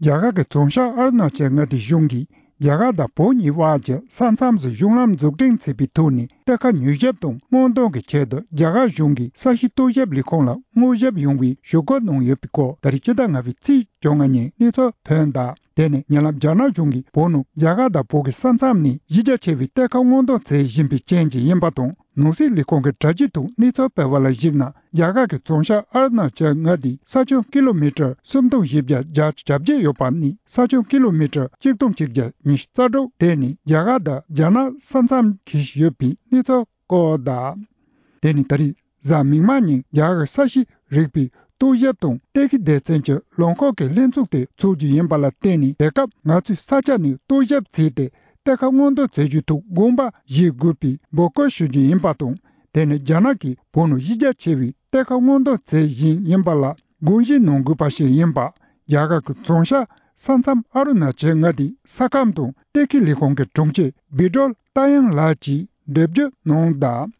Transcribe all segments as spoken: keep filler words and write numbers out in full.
རྒྱ་གར་གྱི་རྫོང་ཤར་ཨ་རུ་ན་ཅལ་མངའ་སྡེའི་གཞུང་གིས་རྒྱ་གར་དང་བོད་གཉིས་དབར་གྱི་ས་མཚམས་སུ་གཞུང་ལམ་འཛུགས་སྐྲུན་བྱེད་པའི་ཐོག་ནས་གཏེར་ཁ་མྱུལ་ཞིབ་དང་སྔོག་འདོན་གྱི་ཆེད་དུ་རྒྱ་གར་གཞུང་གིས་ས་གཤིས་རྟོག་ཞིབ་ལས་ཁུངས་ལ་དངོས་ཞིབ་ཡོང་བའི་ཞུ་སྐུལ་གནང་ཡོད་པའི་སྐོར་ད་རེས་སྤྱི་ཟླ་ལྔ་པའི་ཚེས་བཅོ་ལྔ་ཉིན་གནས་ཚུལ་ཐོན་གདའ། དེ་ནས་ཉེ་ལམ་རྒྱ་ནག་གཞུང་གིས་བོད་ནང་རྒྱ་གར་དང་བོད་ཀྱི་ས་མཚམས་ནས་གཞི་རྒྱ་ཆེ་བའི་གཏེར་ཁ་སྔོག་འདོན་བྱེད་བཞིན་པའི་རྐྱེན་གྱིས་ཡིན་པ་དང་། ནང་སྲིད་ལས་ཁུངས་ཀྱི་དྲ་རྒྱའི་ཐོག་གནས་ཚུལ་སྤེལ་བ་ལ་གཞིགས་ན། རྒྱ་གར་གྱི་རྫོང་ཤར་ཨ་རུ་ན་ཅལ་མངའ་སྡེའི་ས་ཁྱོན་ཀི་ལོ་མི་ཊར་སུམ་སྟོང་བཞི་བརྒྱ་གྱ་བརྒྱད་ཡོད་པ་ནི། ས་ཁྱོན་ཀི་ལོ་མི་ཊར་གཅིག་སྟོང་ཆིག་བརྒྱ་ཉི་ཤུ་རྩ་དྲུག་དེ་ནི་རྒྱ་གར་དང་རྒྱ་ནག་ས་མཚམས་འཁེལ་ཡོད་པའི་གནས་ཚུལ་སྐོར་དང་། དེ་ནི་ད་རེས་གཟའ་མིག་དམར་ཉིན་རྒྱ་གར་གྱི་ས་གཤིས་རིག་པའི་རྟོག་ཞིབ་དང་གཏེར་ཁའི་སྡེ་ཚན་གྱི་ལམ་ཁག་གི་ལྷན་ཚོགས་དེ་འཚོགས་རྒྱུ་ཡིན་པ་ལ་བརྟེན་ནས། དེ་སྐབས་ང་ཚོས་ས་ཆ་ནས་རྟོག་ཞིབ་བྱས་ཏེ། གཏེར་ཁ་སྔོག་འདོན་བྱེད་རྒྱུའི་ཐོག་དགོངས་པ་བཞེས་དགོས་པའི་འབོད་སྐུལ་ཞུ་རྒྱུ་ཡིན་པ་དང་། དེ་ནི་རྒྱ་ནག་གིས་བོད་ནང་གཞི་རྒྱ་ཆེ་བའི་གཏེར་ཁ་སྔོག་འདོན་བྱེད་བཞིན་ཡིན་པ་ལ་དགོངས་བཞེས་གནང་དགོས་པ་ཞིག་ཡིན་པ། རྒྱ་གར་གྱི་རྫོང་ཤར་ས་མཚམས་ཨ་རུ་ན་ཅལ་མངའ་སྡེའི་ས་ཁམས་དང་གཏེར་ཁའི་ལས་ཁུངས་ཀྱི་དྲུང་ཆེ་བི་ཀྲོལ་ཏཱ་ཡང་ལགས་ཀྱིས་འགྲེལ་བརྗོད་གནང་གདའ།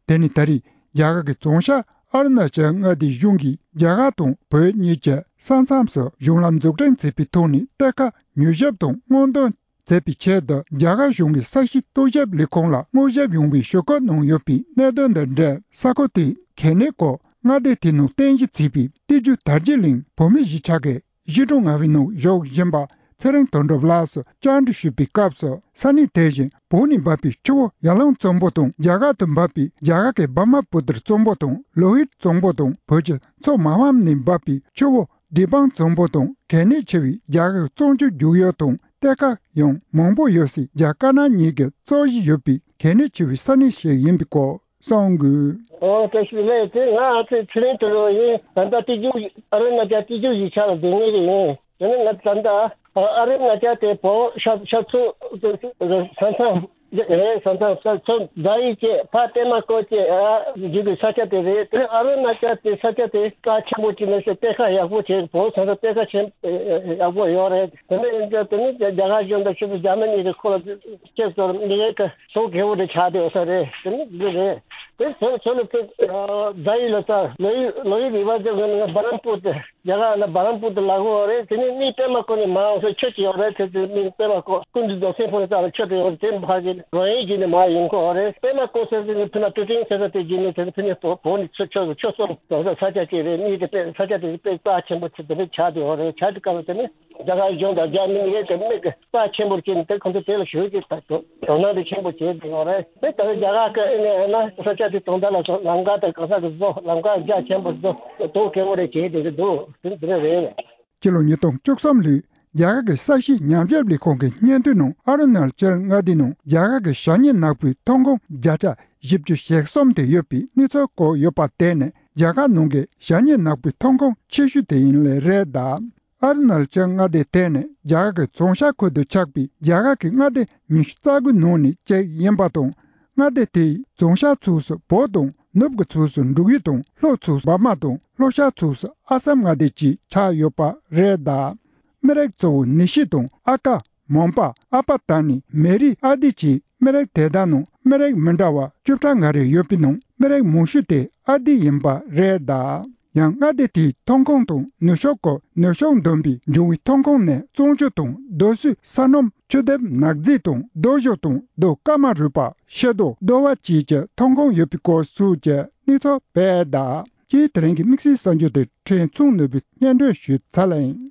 དེ་ནི་ད་རེས་རྒྱ་གར་གྱི་རྫོང་ཤར་ཨ་རུ་ན་ཅལ་མངའ་སྡེའི་གཞུང་གིས་རྒྱ་གར་དང་བོད་གཉིས་ཀྱི་ས་མཚམས་སུ་གཞུང་ལམ་འཛུགས་སྐྲུན་བྱེད་པའི་ཐོག་ནས་གཏེར་ཁ་མྱུལ་ཞིབ་དང་སྔོག་འདོན་བྱེད་པའི་ཆེད་དུ། རྒྱ་གར་གཞུང་གི་ས་གཤིས་རྟོག་ཞིབ་ལས་ཁུངས་ལ་དངོས་ཞིབ་ཡོང་བའི་ཞུ་སྐུལ་གནང་ཡོད་པའི་གནད་དོན་དང་འབྲེལ། ས་ཁུལ་དེའི་གལ་གནད་སྐོར་མངའ་སྡེ་དེའི་ནང་རྟེན་གཞི་བྱས་པའི་སྟོད་རྒྱུད་དར་རྒྱས་གླིང་བོད་མིའི་གཞིས་ཆགས་ཀྱི་གཞིས་གྲོང་ལྔ་པའི་ནང་བཞུགས་བཞིན་པ་ཚེ་རིང་དོན་གྲུབ་ལགས་སུ་བཅར་འདྲི་ཞུས་པའི་སྐབས་སུ། ས་གནས་དེ་བཞིན་བོད་ནས་འབབ་པའི་ཆུ་བོ་ཡར་ཀླུང་གཙང་པོ་དང་། རྒྱ་གར་དུ་འབབ་པའི་རྒྱ་གར་གྱི་བྷར་མ་པུ་ཏར་གཙང་པོ་དང་། ལོ་ཧིར་གཙང་པོ་དང་། བོད་ཀྱི་མཚོ་མ་ཕམ་ནས་འབབ་པའི་ཆུ་བོ་བདེ་སྤང་གཙང་པོ་དང་། གལ་གནད་ཆེ་བའི་རྒྱ་གར་གཙང་ཆུ་རྒྱུག་ཡུལ་དང་གཏེར་ཁ་ཡང་མང་པོ་ཡོད་སའི་རྒྱ་དཀར་ནག་གཉིས་ཀྱི་རྩོད་གཞི་ཡོད་པའི་གལ་གནད་ཆེ་བའི་ས་གནས་ཤིག་ཡིན་པའི་སྐོར་གསུངས་དགོས། ཨོ་བཀྲ་ཤིས་བདེ་ལེགས། དེ་ང་ཚོའི་ཚེ་རིང་དོན་གྲུབ་ཡིན། ད་ལྟ་སྟོད་རྒྱུད་ཨ་རུ་ན་ཅལ་སྟོད་རྒྱུད་གཞིས་ཆགས་ལ་སྡོད་མཁན་ཞིག་ཡིན། དེ་ནི་ང་ད་ལྟ་ཨ་རུ་ན་ཅལ་དེ་བོད་ཤར་ཤར་ཕྱོགས་ས་མཚམས་རེད། ས་མཚམས་ས་མཚམས་རྫ་ཡུལ་བཅས་ཕར་པད་མ་བཀོད་བཅས་ཨ་བརྒྱུད་པའི་ས་ཆ་དེ་རེད། དེ་ཨ་རུ་ན་ཅལ་དེ་ས་ཆ་དེ་རྩ་ཆེན་པོ་ཅིག་མེད་ཟེར། གཏེར་ཁ་ཡག་པོ་བྱས། བོད་ས་མཚམས་གཏེར་ཁ་ཆེན་ཡག་པོ་ཡོད་རེད། དེ་ནི་དེ་ནི་རྒྱ་གར་གཞུང་དང་ཆུ་ཚོད་རྒྱ་མི་གཉིས་ཀྱིས་ཁོ་ལ་ཁྱེད་ཚོར་མི་རེ་ག་སོ་གེ་བོ་དེ་ཆགས་བསྡད་ཡོད་ས་རེད། དེ་ནི་འདི་རེད། དེ་ཚོ་ཚོ་ལ་ཚོ་རྫ་ཡུལ་ལ་ས་ལོ་ཡུལ་ལོ་ཡུལ་རི་བ་ཚོ་གི་ནི་བ་རམ་པུར་དེ། རྒྱ་གར་ལ་བ་རམ་པུར་དུ་ལ་གོ་རེད། དེ་ནས་མི་པད་མ་བཀོད་ནས་མ་འོང་ས་ཆུ་ཅིག་ཡོད་རེད། དེ་དེ་མི་པད་མ་བཀོད་ཀུན་འདུས་རྫོང་སེམས་ཕུག་ནས་ཙམ་ལ་ཆུ་དེ་ཡོད་རེད། དེ་ཕ་གི་རོ་ཡིན་གྱི་ནས་མ་ཡིན་གོ་རེད། པད་མ་བཀོད་ཟེར་དེ་ནི་ཕུ་ན་ཏུ་ཏིང་ཟེར་ས་དེ་གྱི་ནས་དེ་ཕུ་ནས་བོ་བོ་ནས་ཆུ་ཆུ་ཆུ་སོང་དོ་ས་ས་ཆ་ཅིག་རེད། མི་དེ་དཔེ་ས་ཆ་དེ་དཔེ་རྩ་ཆེན་པོ་ཆེ་དེ་འདྲ་ཆགས་དེ་ཡོད་རེད། ཆགས་དེ་སྐབས་དེ་ནི་རྒྱ་གར་གཞུང་དང་རྒྱ་མི་གཉིས་ཀས་དེ་མི་གི་རྩ་ཆེན་པོར་བྱས་ནས་དེ་ཁོང་ཚོ་དེ་ལ་ཞུ་གི་ད་དོ་དོ་སྣང་དེ་ཆེན་པོ་བྱས་དེ་ཡོད་རེད། དེ་ལྟར་རྒྱ་གར་གི་ཨེ་ནས་ཨེ་ན་ས་ཆ་དེ་དོན་དག་ལ་སོགས་ལམ་ཁ་དང་གང་ཟག་གི་བཟོ་ལམ་ཁ་རྒྱ་ཆེན་པོ་བཟོ་དོ་གལ་བོ་རེ་བྱས་དེ་གི་འདུག་དེ་འདི་རེད། སྤྱི་ལོ་ཉིས་སྟོང་བཅུ་གསུམ་ལོའི་རྒྱ་གར་གྱི་ས་གཤིས་ཉམས་ཞིབ་ལས་ཁུངས་ཀྱི་སྙན་ཐོའི་ནང་ཨ་རུ་ན་ཅལ་མངའ་སྡེའི་ནང་རྒྱ་གར་གྱི་ཞ་སྙེ་ནག་པོའི་ཐོན་ཁུངས་བརྒྱ་ཆ་བཞི་བཅུ་ཞེ་གསུམ་དེ་ཡོད་པའི་གནས་ཚུལ་བཀོད་ཡོད་པ་དེ་ནི་རྒྱ་གར་ནང་གི་ཞ་སྙེ་ནག་པོའི་ཐོན་ཁུངས་ཆེ་ཤོས་དེ་ཡིན་ལེ་རེད་གདའ། ཨ་རུ་ན་ཅལ་མངའ་སྡེ་དེ་ནི་རྒྱ་གར་གྱི་རྫོང་ཤར་ཁུལ་དུ་ཆགས་པའི་རྒྱ་གར་གྱི་མངའ་སྡེ་ཉི་ཤུ་རྩ་དགུའི་ནང་ནས་གཅིག་ཡིན་པ་དང་། མངའ་སྡེ་དེའི་རྫོང་ཤར་ཚུགས་སུ་བོད་དང་། ནུབ་ཀྱི་ཚུགས་སུ་འབྲུག་ཡུལ་དང་། ལྷོ་ཚུགས་སུ་འབར་མ་དང་། ལྷོ་ཤར་ཚུགས་སུ་ཨ་སམ་མངའ་སྡེ་བཅས་ཆགས་ཡོད་པ་རེད་གདའ། མི་རིགས་གཙོ་བོ་ནི་ཤི་དང་། ཨ་ཀ། མོན་པ། ཨ་པ་ད་ནི། མེ་རི། ཨ་དི་བཅས་མི་རིགས་དེ་དག་ནང་མི་རིགས་མི་འདྲ་བ་བཅུ་ཕྲག་ལྔ་རེ་ཡོད་པའི་ནང་མི་རིགས་མང་ཤོས་དེ་ཨ་དི་ཡིན་པ་རེད་གདའ། ཡང་མངའ་སྡེ་དེའི་ཐོན་ཁུངས་དང་ནུབ་ཕྱོགས་ཀྱི་ནུབ་ཕྱོགས་བསྡོམས་པའི་འབྱུང་བའི་ཐོན་ཁུངས་ནི་གཙང་ཆུ་དང་རྡོ་སོལ། ས་སྣུམ། ཆུ་ལྡེབས། ནག་རྫས་དང་རྡོ་ཞོ་དང་རྡོ་ཀ་མ་རུ་པ། ཤེལ་རྡོ། རྡོ་བ་བཅས་ཀྱི་ཐོན་ཁུངས་ཡོད་པའི་སྐོར་སོགས་ཀྱི་གནས་ཚུལ་སྤེལ་གདའ། ཅེས་དེ་རིང་གི་དམིགས་བསལ་གསར་འགྱུར་དེ་ཕྲན་ཚུགས་ནོར་བུས་སྙན་སྒྲོན་ཞུས་ཚར་ལ་ཡིན།